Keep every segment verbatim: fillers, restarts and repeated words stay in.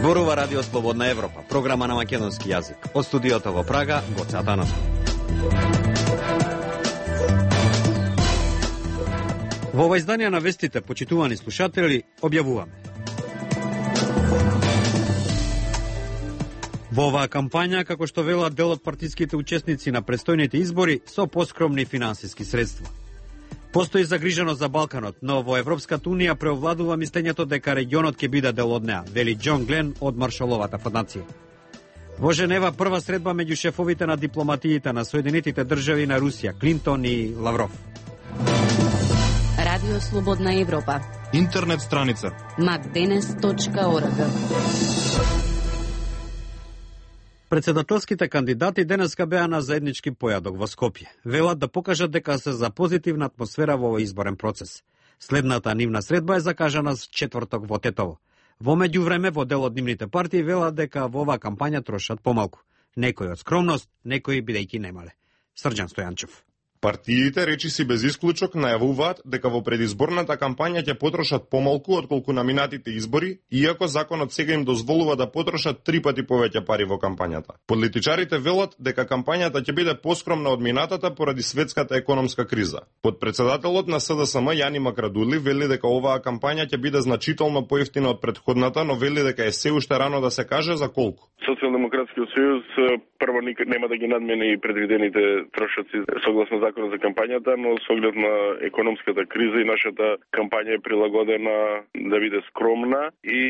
Зборува Радио Слободна Европа, програма на македонски јазик. Од студиото во Прага, Гоце Атанасов. Во ова издание на вестите, почитувани слушатели, објавуваме. Во оваа кампања, како што велат дел од партиските учесници на предстојните избори, со поскромни финансиски средства. Постои загриженост за Балканот, но во Европската Унија преовладува мислењето дека регионот ќе биде дел од неа, вели Џон Глен од Маршаловата фондација. Во Женева прва средба меѓу шефовите на дипломатиите на Соединетите држави на Русија, Клинтон и Лавров. Радио Слободна Европа. Интернет страница макденес точка орг. Председателските кандидати денеска беа на заеднички појадок во Скопје. Велат да покажат дека се за позитивна атмосфера во овој изборен процес. Следната нивна средба е закажана с четврток во Тетово. Во меѓувреме во дел од нивните партии велат дека во оваа кампања трошат помалку. Некои од скромност, некои бидејќи немале. Срđan Стојанчев. Партиите речиси без исклучок најавуваат дека во предизборната кампања ќе потрошат помалку отколку на минатите избори, иако законот сега им дозволува да потрошат три пати повеќе пари во кампањата. Политичарите велат дека кампањата ќе биде поскромна од минатата поради светската економска криза. Подпредседателот на С Д С М Јани Макрадули вели дека оваа кампања ќе биде значително поевтина од претходната, но вели дека е се уште рано да се каже за колку. Социјалдемократскиот сојуз прво нема да ги надмени предвидените трошоци согласно законот за кампањата, но со оглед на економската криза и нашата кампања е прилагодена да биде скромна и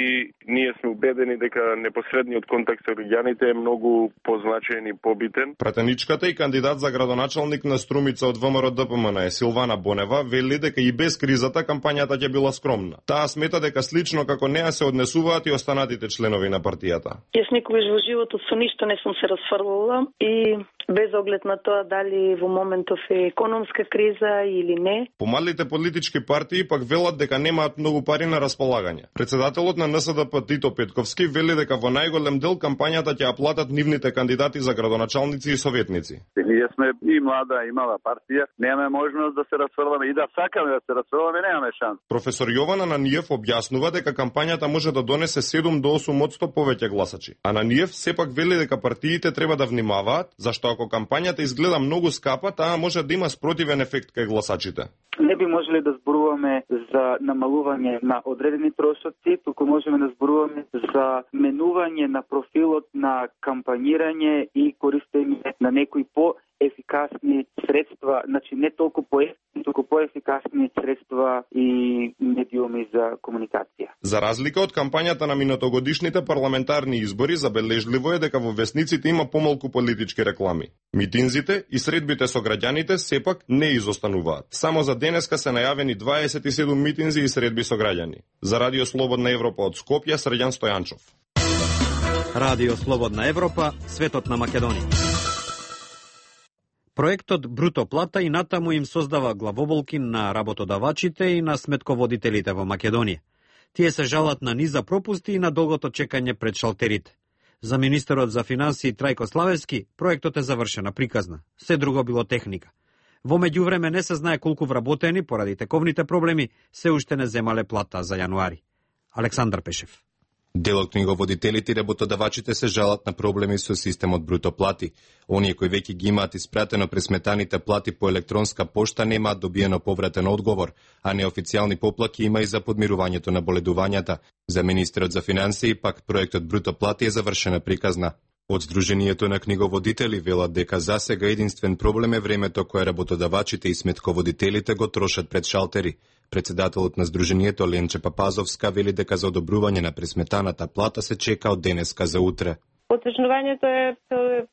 ние сме убедени дека непосредниот контакт со граѓаните е многу позначаен и побитен. Пратеничката и кандидат за градоначалник на Струмица од В М Р Д П М Н е Силвана Бонева вели дека и без кризата кампањата ќе била скромна. Таа смета дека слично како неа се однесуваат и останатите членови на партијата. Јас никогаш во животот со ништо не сум се расфрлала и без оглед на тоа дали во моментов е економска криза или не. Помалите политички партии пак велат дека немаат многу пари на располагање. Председателот на Н С Д П Тито Петковски вели дека во најголем дел кампањата ќе ја платат нивните кандидати за градоначалници и советници. Ние сме и млада и мала партија, немаме можност да се расфрламе и да сакаме да се расфрламе, немаме шанс. Професор Јована Наниев објаснува дека кампањата може да донесе седум до осум одсто повеќе гласачи. А Наниев сепак вели дека партиите треба да внимаваат, зашто ако кампањата изгледа многу скапа, таа може да има спротивен ефект кај гласачите. Не би можеле да зборуваме за намалување на одредени трошоци, туку можеме да зборуваме за менување на профилот на кампањирање и користење на некои по-ефикасни средства, значи не толку по-ефикасни, туку по-ефикасни средства и медиуми за комуникација. За разлика од кампањата на минатогодишните парламентарни избори, забележливо е дека во весниците има помалку политички реклами. Митинзите и средбите со граѓаните сепак не изостануваат. Само за денеска се најавени дваесет и седум митинзи и средби со граѓани. За Радио Слободна Европа од Скопје, Срđan Стојанчев. Радио Слободна Европа, светот на Македонија. Проектот Бруто плата и натаму им создава главоболки на работодавачите и на сметководителите во Македонија. Тие се жалат на низа пропусти и на долгото чекање пред шалтерите. За министерот за финансии Трајко Славевски, проектот е завршена приказна. Се друго било техника. Во меѓувреме не се знае колку вработени поради тековните проблеми се уште не земале плата за јануари. Александар Пешев. Дел од книговодителите и работодавачите се жалат на проблеми со системот Бруто плати. Оние кои веќе ги имаат испратено пресметаните плати по електронска пошта немаат добиено повратен одговор, а неофицијални поплаки има и за подмирувањето на боледувањата. За министерот за финансии пак проектот Бруто плати е завршена приказна. Од Сдруженијето на книговодители велат дека засега единствен проблем е времето кое работодавачите и сметководителите го трошат пред шалтери. Председателот на Сдруженијето Ленче Папазовска вели дека за одобрување на пресметаната плата се чека од денеска за утре. Потежнувањето е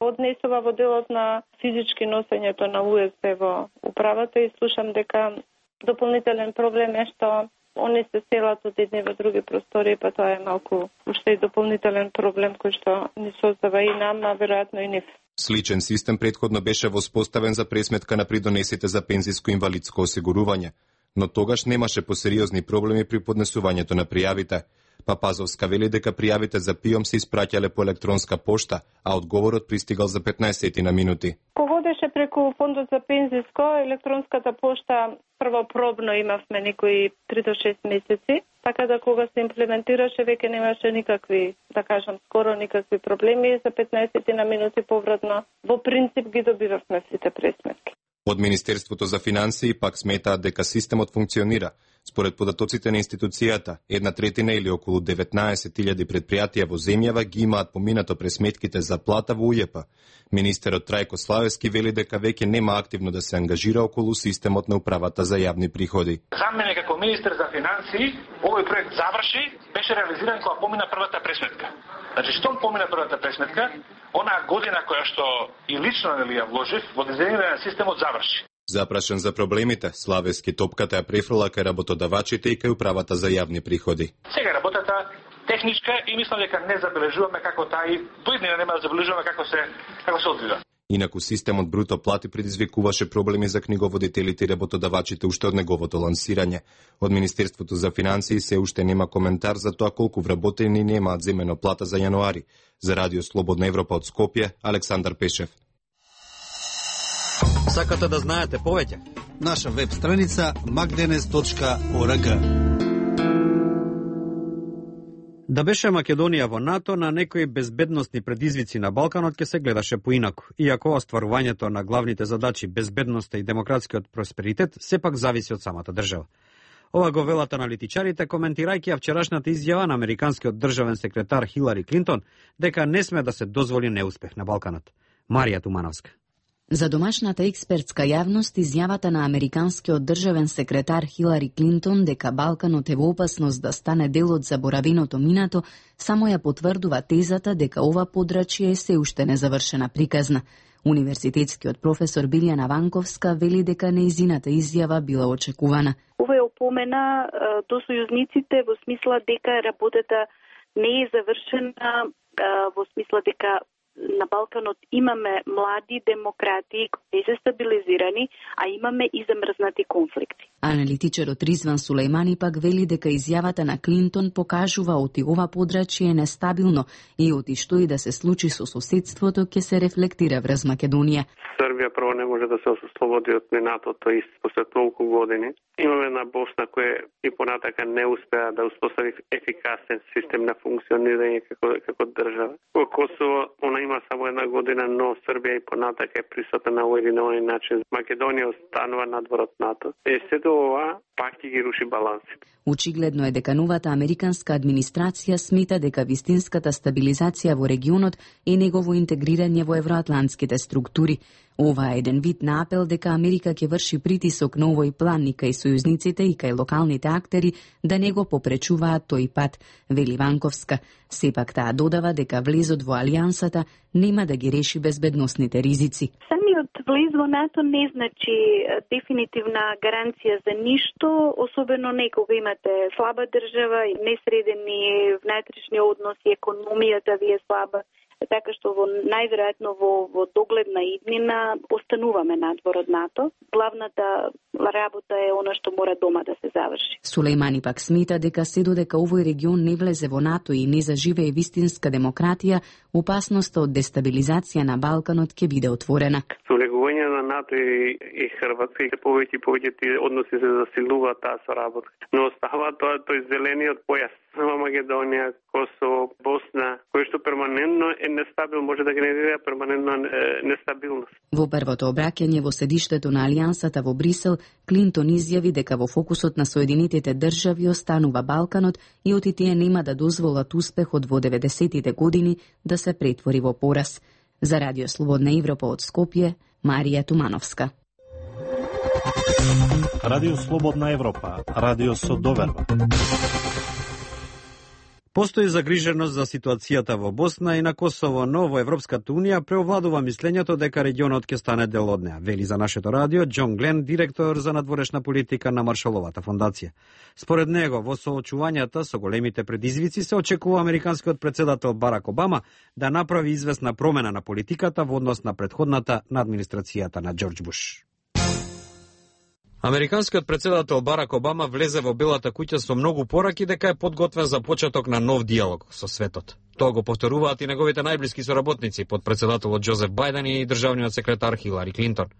однесува во делот на физички носењето на У С Б во управата и слушам дека дополнителен проблем е што они се селат од едни во други простори, па тоа е малку уште и дополнителен проблем кој што ни создава и нам, а веројатно и нив. Сличен систем претходно беше воспоставен за пресметка на придонесите за пензиско-инвалидско осигурување, но тогаш немаше посериозни проблеми при поднесувањето на пријавите. Папазовска вели дека пријавите за ПИОМ се испраќале по електронска пошта, а одговорот пристигал за петнаесет на минути. Кога одеш беше преку фондот за пензиско, електронската пошта прво пробно имавме некои три до шест месеци, така да кога се имплементираше веќе немаше никакви, да кажам, скоро никакви проблеми, за петнаесет на минути повратно. Во принцип ги добивавме сите пресметки. Од Министерството за финансии пак сметаат дека системот функционира. Според податоците на институцијата, една третина или околу деветнаесет илјади предпријатија во земјава ги имаат поминато пресметките за плата во УЈП. Министерот Трајко Славевски вели дека веќе нема активно да се ангажира околу системот на управата за јавни приходи. За мене како министер за финансии, овој проект заврши, беше реализиран кога помина првата пресметка. Значи, штом помина првата пресметка, онаа година која што и лично нели ја вложив во дизајнирање на системот заврши. Запрашен за проблемите, Славевски топката ја префрла кај работодавачите и кај управата за јавни приходи. Сега работата техничка и мислам дека не забележуваме како таа и доиднина нема да забележуваме како се како се одвива. Инаку системот бруто плати предизвикуваше проблеми за книговодителите и работодавачите уште од неговото лансирање. Од Министерството за финансии се уште нема коментар за тоа колку вработени немаат земено плата за јануари. За Радио Слободна Европа од Скопје, Александар Пешев. Сакате да знаете повеќе? Наша веб страница макденес точка орг. Да беше Македонија во НАТО, на некои безбедносни предизвици на Балканот ќе се гледаше поинаку, иако остварувањето на главните задачи безбедноста и демократскиот просперитет сепак зависи од самата држава. Ова го велат аналитичарите, коментирајќи ја вчерашната изјава на американскиот државен секретар Хилари Клинтон дека не сме да се дозволи неуспех на Балканот. Марија Тумановска. За домашната експертска јавност, изјавата на американскиот државен секретар Хилари Клинтон дека Балканот е во опасност да стане дел од заборавеното минато, само ја потврдува тезата дека ова подрачје е се уште незавршена приказна. Универзитетскиот професор Билјана Ванковска вели дека нејзината изјава била очекувана. Ова е опомена до сојузниците во смисла дека работата не е завршена, во смисла дека на Балканот имаме млади демократи кои се стабилизирани, а имаме и замрзнати конфликти. Аналитичарот Ризван Сулејмани пак вели дека изјавата на Клинтон покажува оти ова подрачје е нестабилно и оти што и да се случи со соседството ќе се рефлектира врз Македонија. Србија прво не може да се ослободи од минатото и после толку години. Имаме една Босна која и понатака не успеа да успостави ефикасен систем на функционирање како како држава. Во Косово она има само една година, но Србија и понатака е присутна на овој или на оној начин. Македонија останува надвор од НАТО. Е, сето ова пак ќе ги руши балансите. Очигледно е дека новата американска администрација смета дека вистинската стабилизација во регионот е негово интегрирање во евроатлантските структури. Ова е еден вид на апел дека Америка ќе врши притисок на овој план и кај сојузниците и кај локалните актери да не го попречуваат тој пат, вели Ванковска. Сепак таа додава дека влезот во алијансата нема да ги реши безбедносните ризици. Самиот влез во НАТО не значи дефинитивна гаранција за ништо, особено не кога имате слаба држава и несредени внатрешни односи, економијата ви е слаба. Така што во најверојатно во, во догледна иднина остануваме надвор од НАТО. Главната работа е она што мора дома да се заврши. Сулејмани пак смета дека се додека овој регион не влезе во НАТО и не заживее вистинска демократија, опасноста од дестабилизација на Балканот ќе биде отворена. Со влегување на НАТО и, и Хрватска и повеќе и повеќе тие односи се засилуваат таа соработка. Но остава тоа тој зелениот појас. Македонија, Косово, Босна, кој што перманентно е нестабилно, може да генерира перманентно нестабилност. Во првото обраќање во седиштето на Алијансата во Брисел, Клинтон изјави дека во фокусот на Соединетите држави останува Балканот и оти тие нема да дозволат успехот во деветдесетите години да се претвори во пораз. За Радио Слободна Европа од Скопје, Марија Тумановска. Радио Слободна Европа, радио со доверба. Постои загриженост за ситуацијата во Босна и на Косово, но во Европската Унија преовладува мислењето дека регионот ќе стане дел од неа, вели за нашето радио Џон Глен, директор за надворешна политика на Маршаловата фондација. Според него, во соочувањата со големите предизвици се очекува американскиот претседател Барак Обама да направи известна промена на политиката во однос на претходната на администрацијата на Џорџ Буш. Американскиот претседател Барак Обама влезе во Белата куќа со многу пораки дека е подготвен за почеток на нов диалог со светот. Тоа го повторуваат и неговите најблиски соработници, подпредседателот Џозеф Бајден и државниот секретар Хилари Клинтон.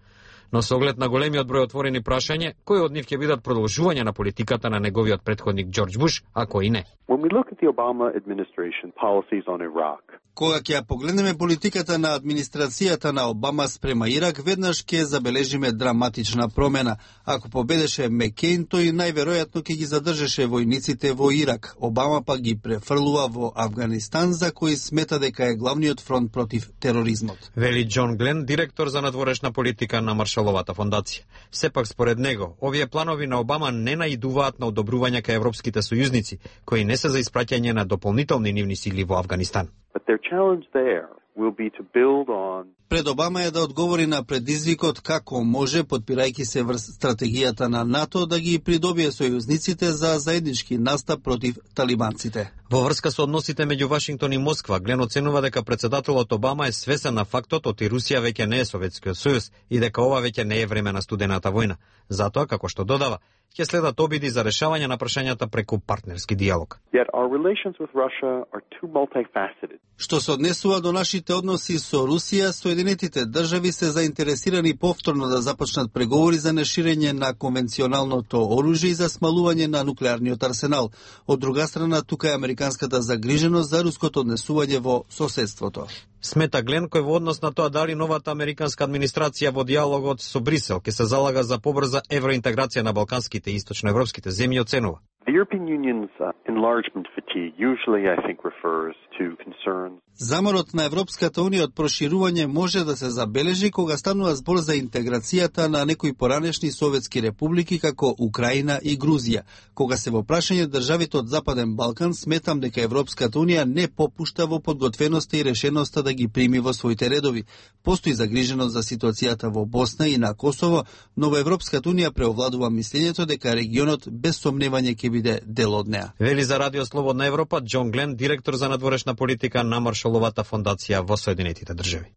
Но со оглед на големиот број отворени прашања, кои од нив ќе бидат продолжување на политиката на неговиот претходник Џорџ Буш, а кои не. When we look at the Obama administration policies on Iraq, кога ќе ја погледнеме политиката на администрацијата на Обама спрема Ирак, веднаш ќе забележиме драматична промена. Ако победеше Мекејн, тој најверојатно ќе ги задржеше војниците во Ирак. Обама па ги префрлува во Авганистан, за кој смета дека е главниот фронт против тероризмот. Вели Џон Глен, директор за надворешна политика на Маршаловата фондација. Сепак според него, овие планови на Обама не наидуваат на одобрување кај европските сојузници, кои не се за испраќање на дополнителни нивни сили во Авганистан. But their challenge there will be to build on Пред Обама е да одговори на предизвикот како може, подпирајќи се врз стратегијата на НАТО, да ги придобие сојузниците за заеднички настап против талибанците. Во врска со односите меѓу Вашингтон и Москва, Глен оценува дека председателот Обама е свесен на фактот оти Русија веќе не е Советскиот сојуз и дека ова веќе не е време на студената војна. Затоа, како што додава, ќе следат обиди за решавање на прашањата преку партнерски диалог. Yet our relations with Russia are too multifaceted. Што се однесува до нашите односи со Русија, Соединетите држави се заинтересирани повторно да започнат преговори за неширење на конвенционалното оружје и за смалување на нуклеарниот арсенал. Од друга страна, тука е американската загриженост за руското однесување во соседството. Смета Глен, кој во однос на тоа дали новата американска администрација во диалогот со Брисел ќе се залага за побрза евроинтеграција на балканските и источноевропските земји, оценува. The European Union's uh, enlargement fatigue usually, I think, refers to concerns. Заморот на Европската унија од проширување може да се забележи кога станува збор за интеграцијата на некои поранешни советски републики како Украина и Грузија. Кога се во прашање државите од Западен Балкан, сметам дека Европската унија не попушта во подготвеноста и решеноста да ги прими во своите редови. Постои загриженост за ситуацијата во Босна и на Косово, но во Европската унија преовладува мислењето дека регионот без сомневање ќе биде дел од неа. Вели за Радио Слободна Европа Џон Глен, директор за надворешна политика на Маршаловата фондација во Соединетите држави.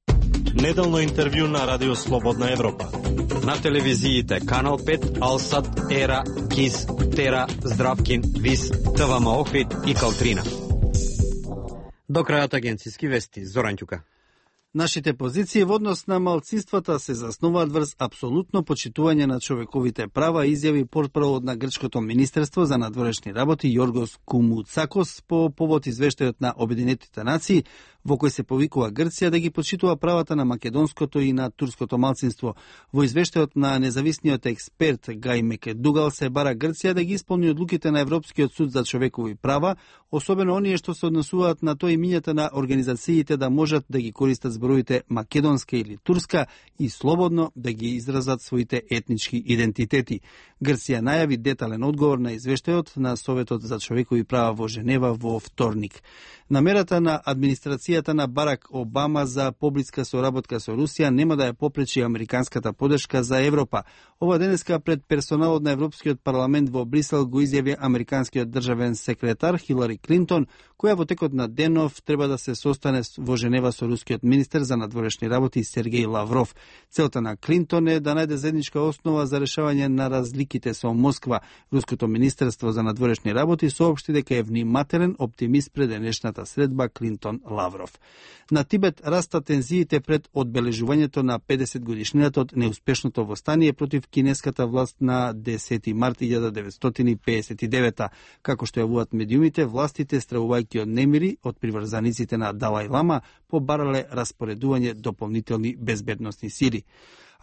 Неделно интервју на Радио Слободна Европа. На телевизиите Канал пет, Алсат, Ера, Кис, Тера, Здравкин, Вис, ТВМ Охрид и Калтрина. До крајот агенцијски вести, Зоран Ќука. Нашите позиции во однос на малцинствата се заснуваат врз апсолутно почитување на човековите права, изјави портпаролот на грчкото министерство за надворешни работи Јоргос Кумуцакос по повод извештајот на Обединетите нации, во кој се повикува Грција да ги почитува правата на македонското и на турското малцинство. Во извештајот на независниот експерт Гај Мекедугал се бара Грција да ги исполни одлуките на Европскиот суд за човекови права, особено оние што се однесуваат на тој имињата на организациите да можат да ги користат зборовите македонска или турска и слободно да ги изразат своите етнички идентитети. Грција најави детален одговор на извештајот на Советот за човекови права во Женева во вторник. Намерата на администрацијата на Барак Обама за поблиска соработка со Русија нема да ја попречи американската подршка за Европа. Ова денеска пред персоналот на Европскиот парламент во Брисел го изјави американскиот државен секретар Хилари Клинтон, која во текот на денов треба да се состане во Женева со рускиот министер за надворешни работи Сергеј Лавров. Целта на Клинтон е да најде заедничка основа за решавање на разликите со Москва. Руското министерство за надворешни работи соопшти дека е внимателен оптимист пред денешната средба Клинтон-Лавров. На Тибет раста тензиите пред одбележувањето на педесет годишнината од неуспешното востание против кинеската власт на десети март илјада деветстотини пеесет и девета. Како што јавуваат медиумите, властите, стравувајќи од немири од приврзаниците на Далај Лама, побарале распоредување дополнителни безбедносни сили.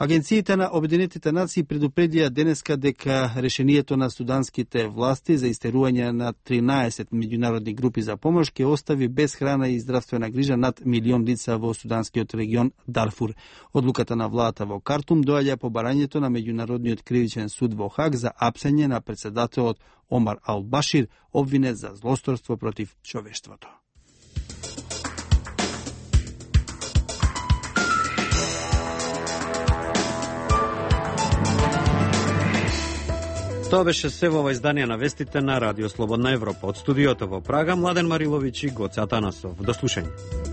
Агенциите на Обединетите нации предупредија денеска дека решението на суданските власти за истерување на тринаесет меѓународни групи за помош ќе остави без храна и здравствена грижа над милион лица во суданскиот регион Дарфур. Одлуката на владата во Картум доаѓа по барањето на Меѓународниот кривичен суд во Хаг за апсење на председателот Омар Ал-Башир, обвинет за злосторство против човештвото. Тоа беше се во ова издание на вестите на Радио Слободна Европа. Од студиото во Прага, Младен Мариловиќ и Гоце Атанасов. До слушање.